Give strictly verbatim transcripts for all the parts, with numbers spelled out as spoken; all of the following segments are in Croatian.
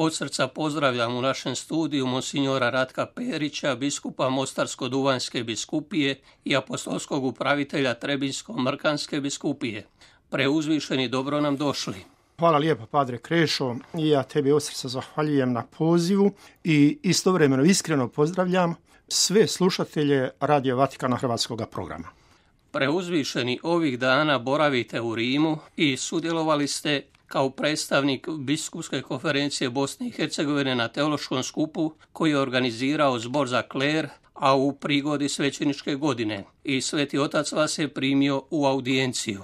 Od srca pozdravljam u našem studiju monsignora Ratka Perića, biskupa Mostarsko-duvanjske biskupije i apostolskog upravitelja Trebinjsko-mrkanske biskupije. Preuzvišeni, dobro nam došli. Hvala lijepa, padre Krešo, i ja tebi od srca zahvaljujem na pozivu i istovremeno iskreno pozdravljam sve slušatelje Radio Vatikana hrvatskog programa. Preuzvišeni, ovih dana boravite u Rimu i sudjelovali ste kao predstavnik Biskupske konferencije Bosne i Hercegovine na teološkom skupu koji je organizirao Zbor za kler, a u prigodi svećeničke godine. I Sveti Otac vas je primio u audijenciju.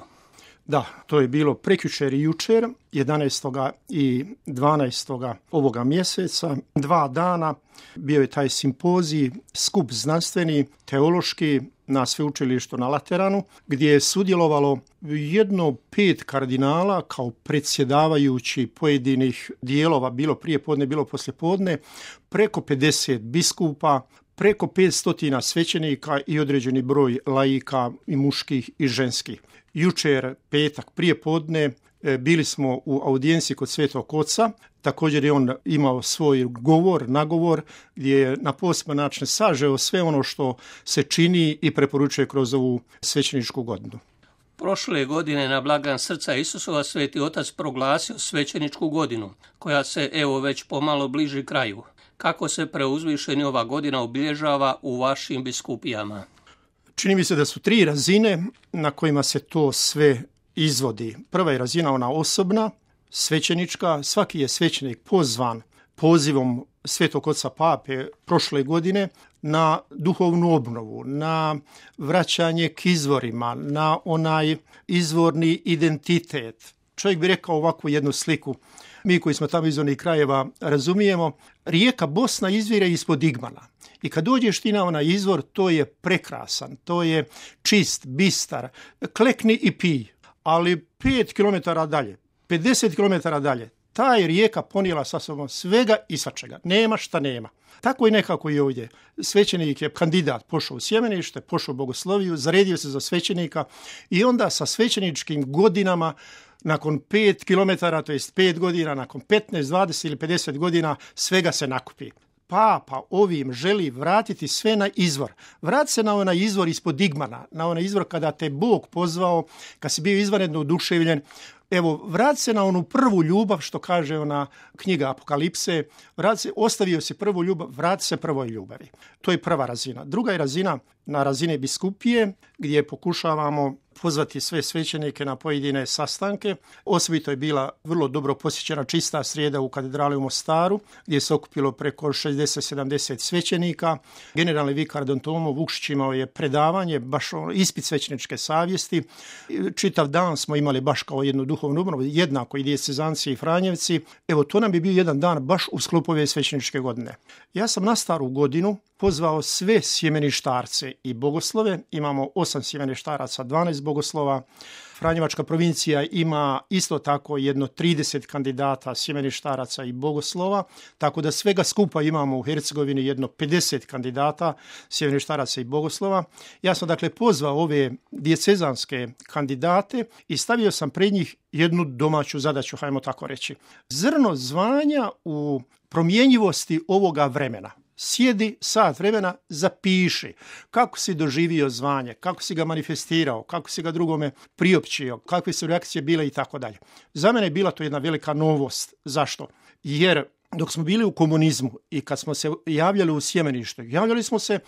Da, to je bilo prekjučer i jučer, jedanaestog i dvanaestog ovoga mjeseca. Dva dana bio je taj simpozij, skup znanstveni, teološki na sveučilištu na Lateranu, gdje je sudjelovalo jedno pet kardinala kao predsjedavajući pojedinih dijelova, bilo prije podne, bilo poslije podne, preko pedeset biskupa, preko petsto svećenika i određeni broj laika i muških i ženskih. Jučer, petak, prije podne, bili smo u audijenciji kod Svetog Oca. Također je on imao svoj govor, nagovor, gdje je na poseban način sažeo sve ono što se čini i preporučuje kroz ovu svećeničku godinu. Prošle godine na blagdan srca Isusova Sveti Otac proglasio svećeničku godinu, koja se evo već pomalo bliži kraju. Kako se preuzvišeni ova godina obilježava u vašim biskupijama? Čini mi se da su tri razine na kojima se to sve izvodi. Prva je razina ona osobna, svećenička. Svaki je svećenik pozvan pozivom Svetog Oca Pape prošle godine na duhovnu obnovu, na vraćanje k izvorima, na onaj izvorni identitet. Čovjek bi rekao ovakvu jednu sliku. Mi koji smo tamo iz onih krajeva razumijemo, rijeka Bosna izvire ispod Igmana. I kad dođeš ti na onaj izvor, to je prekrasan, to je čist, bistar, klekni i pij. Ali pet kilometara dalje, pedeset kilometara dalje, ta je rijeka ponijela sa sobom svega i svačega. Nema šta nema. Tako i nekako i ovdje. Svećenik je kandidat, pošao u sjemenište, pošao u bogosloviju, zaredio se za svećenika i onda sa svećeničkim godinama nakon pet kilometara, to jest pet godina, nakon petnaest, dvadeset ili pedeset godina, svega se nakupi. Papa ovim želi vratiti sve na izvor. Vrati se na onaj izvor ispod Igmana, na onaj izvor kada te Bog pozvao, kad si bio izvanredno oduševljen. Evo, vrati se na onu prvu ljubav, što kaže ona knjiga Apokalipse, vrati se, ostavio si prvu ljubav, vrati se prvoj ljubavi. To je prva razina. Druga je razina na razine biskupije, gdje pokušavamo pozvati sve svećenike na pojedine sastanke. Osobito je bila vrlo dobro posjećena čista srijeda u katedrali u Mostaru, gdje se okupilo preko šezdeset sedamdeset svećenika. Generalni vikar Don Tomo Vukšić imao je predavanje, baš ispit svećeničke savjesti. Čitav dan smo imali baš kao jednu duhovnu obnovu, jednako i dijecezanci i Franjevci. Evo, to nam bi bio jedan dan baš u sklopu ove svećeničke godine. Ja sam na staru godinu pozvao sve sjemeništarce i bogoslove. Imamo osam sjemeništaraca, dvanaest bogoslova. Franjevačka provincija ima isto tako jedno trideset kandidata sjemeništaraca i bogoslova, tako da svega skupa imamo u Hercegovini jedno pedeset kandidata sjemeništaraca i bogoslova. Ja sam dakle pozvao ove dijecezanske kandidate i stavio sam pred njih jednu domaću zadaću, hajmo tako reći. Zrno zvanja u promjenjivosti ovoga vremena. Sjedi sat vremena, zapiši kako si doživio zvanje, kako si ga manifestirao, kako si ga drugome priopćio, kakve su reakcije bile i tako dalje. Za mene je bila to jedna velika novost. Zašto? Jer dok smo bili u komunizmu i kad smo se javljali u sjemenište, javljali smo se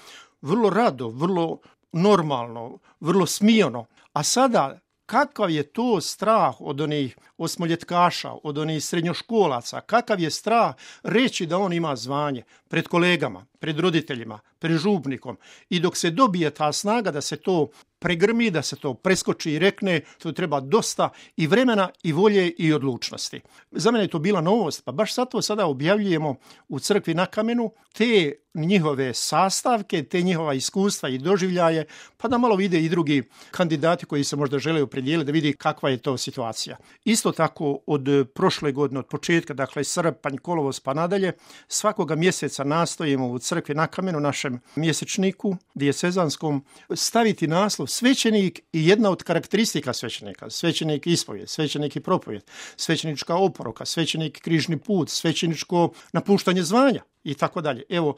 vrlo rado, vrlo normalno, vrlo smijeno, a sada kakav je to strah od onih osmoljetkaša, od onih srednjoškolaca, kakav je strah reći da on ima zvanje pred kolegama, pred roditeljima, pred župnikom. I dok se dobije ta snaga da se to pregrmi, da se to preskoči i rekne, to treba dosta i vremena i volje i odlučnosti. Za mene je to bila novost, pa baš zato sada objavljujemo u crkvi na kamenu te njihove sastavke, te njihova iskustva i doživljaje, pa da malo vide i drugi kandidati koji se možda žele opredijeliti, da vidi kakva je to situacija. Isto tako od prošle godine, od početka, dakle srpanj, kolovoz pa nadalje, svakoga mjeseca nastojimo u crkvi na kamenu, našem mjesečniku dijacezanskom, staviti naslov svećenik i jedna od karakteristika svećenika, svećenik ispovijed, svećenik i propovijed, svećenička oporoka, svećenik križni put, svećeničko napuštanje zvanja i tako dalje. Evo,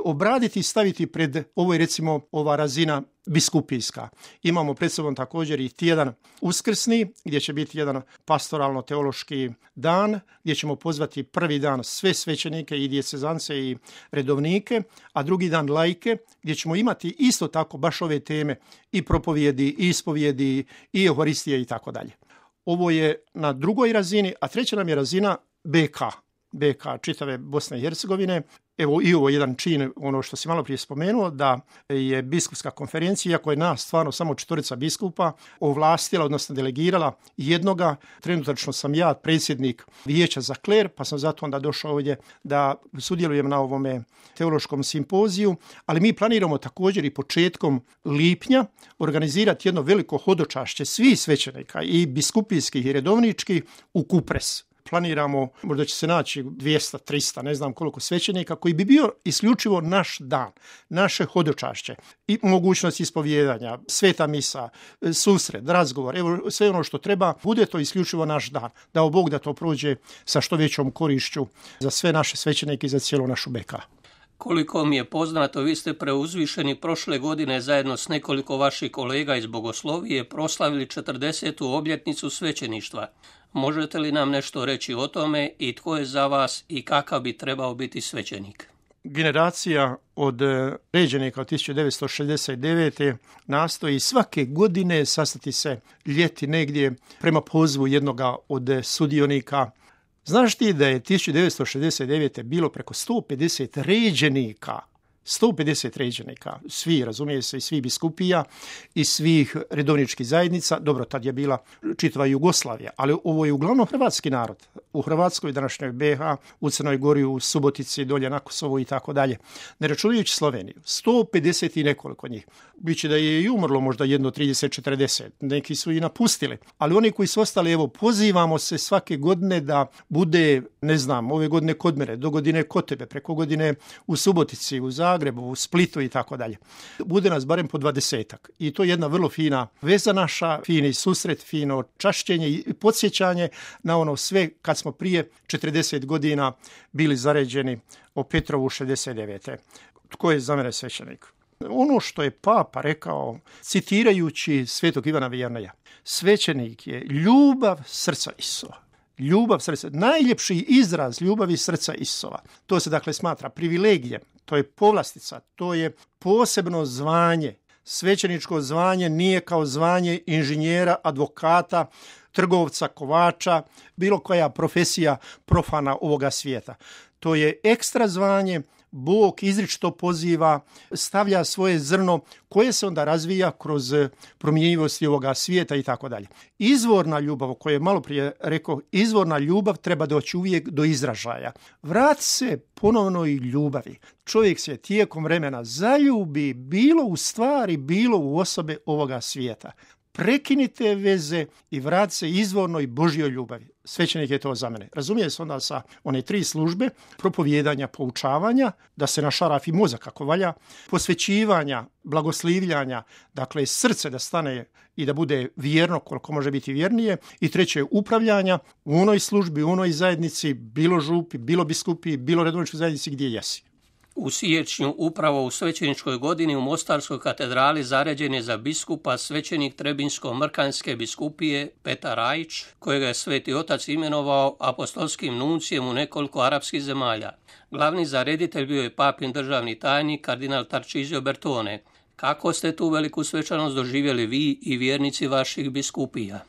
obraditi i staviti pred, ovo je recimo ova razina biskupijska. Imamo pred sobom također i tjedan uskrsni, gdje će biti jedan pastoralno-teološki dan, gdje ćemo pozvati prvi dan sve svećenike i dijecezance i redovnike, a drugi dan laike, gdje ćemo imati isto tako baš ove teme i propovjedi, i ispovjedi, i euharistije i tako dalje. Ovo je na drugoj razini, a treća nam je razina B K. B K čitave Bosne i Hercegovine. Evo i ovo jedan čin, ono što si malo prije spomenuo, da je biskupska konferencija, iako je nas stvarno samo četvorica biskupa, ovlastila, odnosno delegirala jednoga. Trenutačno sam ja predsjednik vijeća za kler, pa sam zato onda došao ovdje da sudjelujem na ovome teološkom simpoziju, ali mi planiramo također i početkom lipnja organizirati jedno veliko hodočašće svih svećenika i biskupijskih i redovničkih u Kupres. Planiramo, možda će se naći dvjesto, tristo, ne znam koliko svećenika, koji bi bio isključivo naš dan, naše hodočašće i mogućnost ispovjedanja, sveta misa, susret, razgovor, evo sve ono što treba, bude to isključivo naš dan. Dao Bog da to prođe sa što većom korišću za sve naše svećenike i za cijelu našu B K. Koliko mi je poznato, vi ste preuzvišeni prošle godine zajedno s nekoliko vaših kolega iz Bogoslovije proslavili četrdesetu obljetnicu svećeništva. Možete li nam nešto reći o tome i tko je za vas i kakav bi trebao biti svećenik? Generacija od ređenika od tisuću devetsto šezdeset devete nastoji svake godine sastati se ljeti negdje prema pozivu jednoga od sudionika. Znaš ti da je tisuću devetsto šezdeset devete bilo preko sto pedeset ređenika, sto pedeset ređenika, svi, razumije se, i svi biskupija i svih redovničkih zajednica. Dobro, tad je bila čitava Jugoslavija, ali ovo je uglavnom hrvatski narod. U Hrvatskoj, današnjoj B H, u Crnoj Gori, u Subotici, dolje na Kosovu i tako dalje. Ne računajući Sloveniju, sto pedeset i nekoliko njih. Biće da je i umrlo možda jedno trideset četrdeset, neki su i napustili. Ali oni koji su ostali, evo, pozivamo se svake godine da bude, ne znam, ove godine kod mene, do godine kod tebe, preko godine u Subotici, u Zagrebu, u Splitu i tako dalje. Bude nas barem po dvadesetak. I to je jedna vrlo fina veza naša, fini susret, fino čašćenje i podsjećanje na ono sve kad smo prije četrdeset godina bili zaređeni o Petrovu šezdeset devete. Tko je za mene svećenik? Ono što je Papa rekao, citirajući svetog Ivana Vijerneja, svećenik je ljubav srca Isova. Ljubav srca, najljepši izraz ljubavi srca Isova. To se dakle smatra privilegijem, to je povlastica, to je posebno zvanje. Svećeničko zvanje nije kao zvanje inženjera, advokata, trgovca, kovača, bilo koja profesija profana ovoga svijeta. To je ekstra zvanje, Bog izričito poziva, stavlja svoje zrno koje se onda razvija kroz promjenjivosti ovoga svijeta i tako dalje. Izvorna ljubav, o kojoj je malo prije rekao, izvorna ljubav treba doći uvijek do izražaja. Vrati se ponovnoj ljubavi. Čovjek se tijekom vremena zaljubi bilo u stvari, bilo u osobe ovoga svijeta. Prekinite veze i vrati se izvornoj Božjoj ljubavi. Svećenik je to za mene. Razumije se onda sa one tri službe, propovijedanja, poučavanja, da se našarafi mozak kako valja, posvećivanja, blagoslivljanja, dakle srce da stane i da bude vjerno koliko može biti vjernije, i treće upravljanja u onoj službi, u onoj zajednici, bilo župi, bilo biskupi, bilo redovničkoj zajednici gdje jesi. U siječnju upravo u svećeničkoj godini u Mostarskoj katedrali zaređen je za biskupa svećenik Trebinsko-Mrkanjske biskupije Petar Rajić, kojega je Sveti Otac imenovao apostolskim nuncijem u nekoliko arapskih zemalja. Glavni zareditelj bio je papin državni tajnik kardinal Tarcisio Bertone. Kako ste tu veliku svečanost doživjeli vi i vjernici vaših biskupija?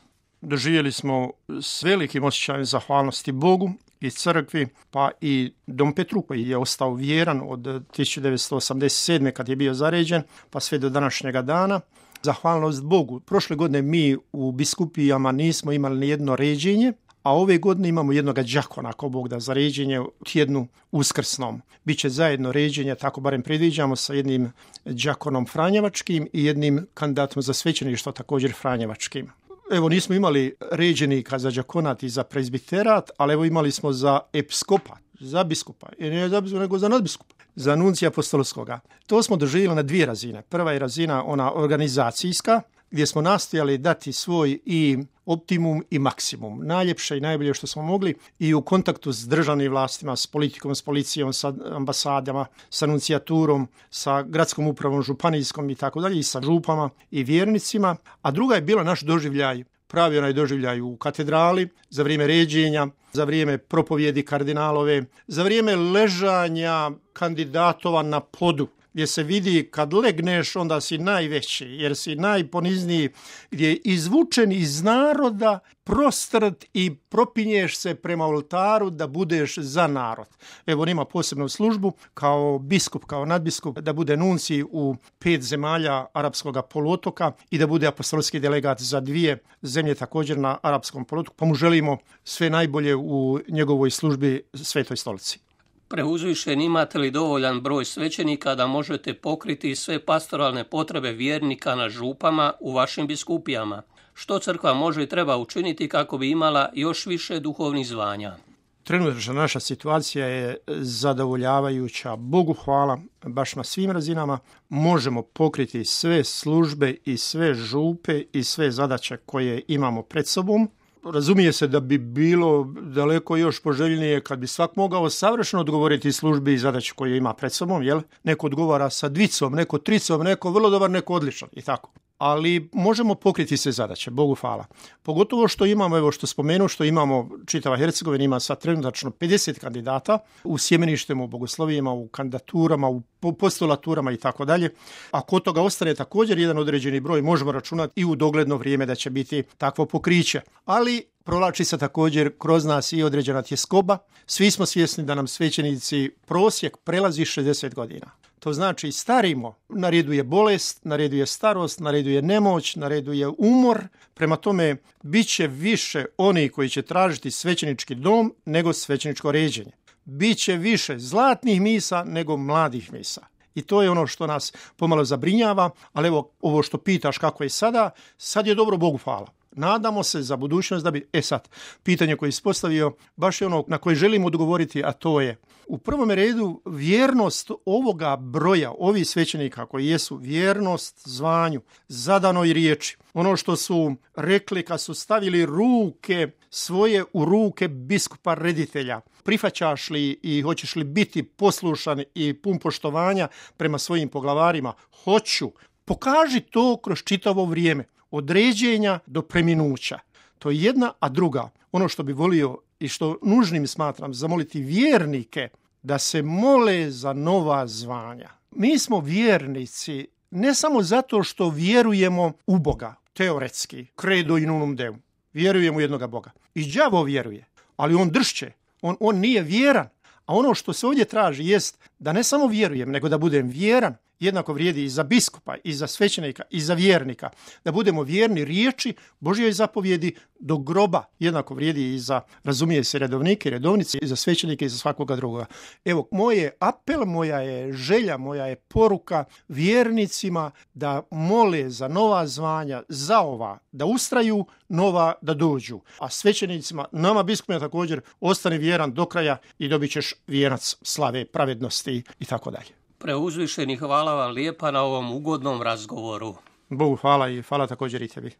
Doživjeli smo s velikim osjećajem zahvalnosti Bogu i crkvi, pa i Dom Petru koji je ostao vjeran od tisuću devetsto osamdeset sedme kad je bio zaređen, pa sve do današnjega dana. Zahvalnost Bogu. Prošle godine mi u biskupijama nismo imali ni jedno ređenje, a ove godine imamo jednog đakona, ako Bog da, za ređenje u tjednu uskrsnom. Biće zajedno ređenje, tako barem predviđamo, sa jednim đakonom franjevačkim i jednim kandidatom za svećeništvo također franjevačkim. Evo, nismo imali ređenika za đakonat i za prezbiterat, ali evo imali smo za episkopat, za biskupa, i ne za biskupa, nego za nadbiskupa. za nuncija apostolskoga. To smo doživjeli na dvije razine. Prva je razina ona organizacijska, gdje smo nastojali dati svoj i optimum i maksimum, najljepše i najbolje što smo mogli i u kontaktu s državnim vlastima, s politikom, s policijom, sa ambasadama, sa nuncijaturom, sa gradskom upravom, županijskom i tako dalje, i sa župama i vjernicima. A druga je bila naš doživljaj, pravi onaj doživljaj u katedrali, za vrijeme ređenja, za vrijeme propovjedi kardinalove, za vrijeme ležanja kandidatova na podu, gdje se vidi kad legneš onda si najveći, jer si najponizniji, gdje je izvučen iz naroda, prostrt i propinješ se prema oltaru da budeš za narod. Evo, on ima posebnu službu kao biskup, kao nadbiskup, da bude nuncij u pet zemalja arapskog poluotoka i da bude apostolski delegat za dvije zemlje također na arapskom poluotoku, pa mu želimo sve najbolje u njegovoj službi Svetoj stolici. Preuzvišeni, imate li dovoljan broj svećenika da možete pokriti sve pastoralne potrebe vjernika na župama u vašim biskupijama? Što crkva može i treba učiniti kako bi imala još više duhovnih zvanja? Trenutna naša situacija je zadovoljavajuća. Bogu hvala, baš na svim razinama možemo pokriti sve službe i sve župe i sve zadaće koje imamo pred sobom. Razumije se da bi bilo daleko još poželjnije kad bi svak mogao savršeno odgovoriti službi i zadaći koje ima pred sobom, jel? Neko odgovara sa dvicom, neko tricom, neko vrlo dobar, neko odličan i tako. Ali možemo pokriti sve zadaće, Bogu hvala. Pogotovo što imamo, evo što spomenu, što imamo, čitava Hercegovina ima sad trenutačno pedeset kandidata u sjemeništima, u bogoslovijama, u kandidaturama, u postulaturama i tako dalje. A kod toga ostane također jedan određeni broj, možemo računati i u dogledno vrijeme da će biti takvo pokriće. Ali provlači se također kroz nas i određena tjeskoba. Svi smo svjesni da nam svećenici prosjek prelazi šezdeset godina. To znači starimo, na redu je bolest, na redu je starost, na redu je nemoć, na redu je umor. Prema tome, bit će više oni koji će tražiti svećenički dom nego svećeničko ređenje. Biće više zlatnih misa nego mladih misa. I to je ono što nas pomalo zabrinjava, ali evo ovo što pitaš kako je sada, sad je dobro, Bogu hvala. Nadamo se za budućnost da bi, e sad, pitanje koje je ispostavio, baš je ono na koje želimo odgovoriti, a to je u prvom redu vjernost ovoga broja, ovih svećenika koji jesu vjernost zvanju, zadanoj riječi. Ono što su rekli kad su stavili ruke svoje u ruke biskupa reditelja. Prihvaćaš li i hoćeš li biti poslušan i pun poštovanja prema svojim poglavarima? Hoću. Pokaži to kroz čitavo vrijeme. Od ređenja do preminuća. To je jedna, a druga. Ono što bi volio i što nužnim smatram, zamoliti vjernike da se mole za nova zvanja. Mi smo vjernici ne samo zato što vjerujemo u Boga, teoretski, credo in unum Deum. Vjerujemo u jednoga Boga. I đavo vjeruje, ali on dršće. On, on nije vjeran. A ono što se ovdje traži jest da ne samo vjerujem, nego da budem vjeran. Jednako vrijedi i za biskupa, i za svećenika, i za vjernika. Da budemo vjerni riječi Božjoj zapovjedi do groba. Jednako vrijedi i za, razumije se, redovnike, redovnice, i za svećenike, i za svakoga drugoga. Evo, moj je apel, moja je želja, moja je poruka vjernicima da mole za nova zvanja, za ova, da ustraju, nova da dođu. A svećenicima, nama biskupima također, ostani vjeran do kraja i dobit ćeš vijenac slave, pravednosti i tako dalje. Preuzvišeni, hvala vam lijepa na ovom ugodnom razgovoru. Bogu hvala i hvala također i tebi.